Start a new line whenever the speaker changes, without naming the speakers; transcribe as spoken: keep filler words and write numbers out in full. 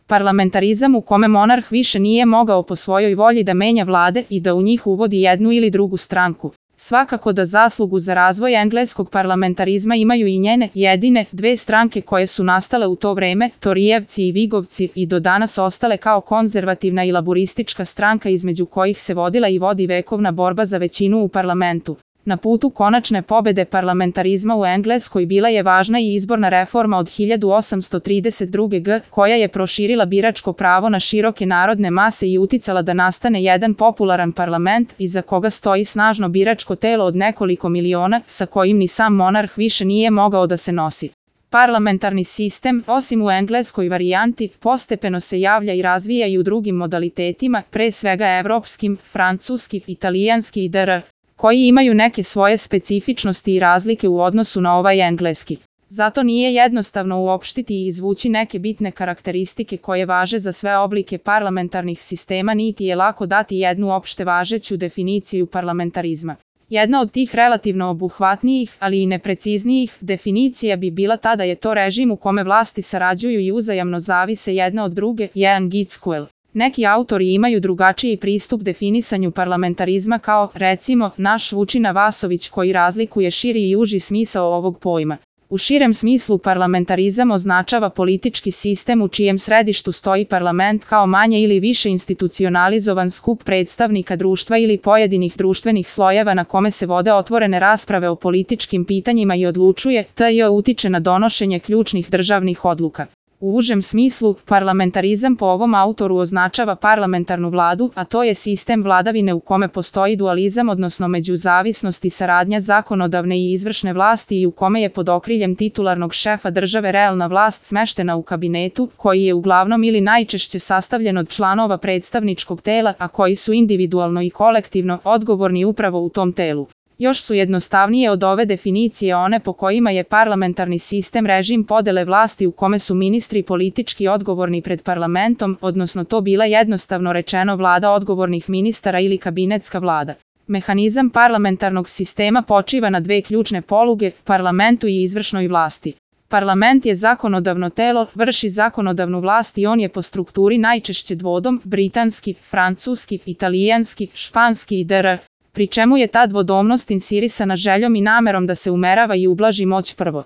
Parlamentarizam u kome monarh više nije mogao po svojoj volji da menja vlade i da u njih uvodi jednu ili drugu stranku. Svakako da zaslugu za razvoj engleskog parlamentarizma imaju i njene jedine dve stranke koje su nastale u to vreme, Torijevci i Vigovci, i do danas ostale kao konzervativna i laburistička stranka između kojih se vodila i vodi vekovna borba za većinu u parlamentu. Na putu konačne pobede parlamentarizma u Engleskoj bila je važna i izborna reforma od hiljadu osamsto trideset druge. godine koja je proširila biračko pravo na široke narodne mase i uticala da nastane jedan popularan parlament iza koga stoji snažno biračko telo od nekoliko miliona sa kojim ni sam monarh više nije mogao da se nosi. Parlamentarni sistem, osim u engleskoj varijanti, postepeno se javlja i razvija i u drugim modalitetima, pre svega evropskim, francuski, italijanski i dr. koji imaju neke svoje specifičnosti i razlike u odnosu na ovaj engleski. Zato nije jednostavno uopštiti i izvući neke bitne karakteristike koje važe za sve oblike parlamentarnih sistema, niti je lako dati jednu opšte važeću definiciju parlamentarizma. Jedna od tih relativno obuhvatnijih, ali i nepreciznijih, definicija bi bila ta da je to režim u kome vlasti sarađuju i uzajamno zavise jedna od druge, jedan Gitskuel. Neki autori imaju drugačiji pristup definisanju parlamentarizma kao, recimo, naš Vučina Vasović koji razlikuje širi i uži smisao ovog pojma. U širem smislu parlamentarizam označava politički sistem u čijem središtu stoji parlament kao manje ili više institucionalizovan skup predstavnika društva ili pojedinih društvenih slojeva na kome se vode otvorene rasprave o političkim pitanjima i odlučuje, te utiče na donošenje ključnih državnih odluka. U užem smislu, parlamentarizam po ovom autoru označava parlamentarnu vladu, a to je sistem vladavine u kome postoji dualizam, odnosno međuzavisnost i saradnja zakonodavne i izvršne vlasti i u kome je pod okriljem titularnog šefa države realna vlast smeštena u kabinetu, koji je uglavnom ili najčešće sastavljen od članova predstavničkog tela, a koji su individualno i kolektivno odgovorni upravo u tom telu. Još su jednostavnije od ove definicije one po kojima je parlamentarni sistem režim podele vlasti u kome su ministri politički odgovorni pred parlamentom, odnosno to bila jednostavno rečeno vlada odgovornih ministara ili kabinetska vlada. Mehanizam parlamentarnog sistema počiva na dve ključne poluge, parlamentu i izvršnoj vlasti. Parlament je zakonodavno telo, vrši zakonodavnu vlast i on je po strukturi najčešće dvodom, britanski, francuski, italijanski, španski i dr. pri čemu je ta dvodomnost insirisana željom i namerom da se umerava i ublaži moć prvog.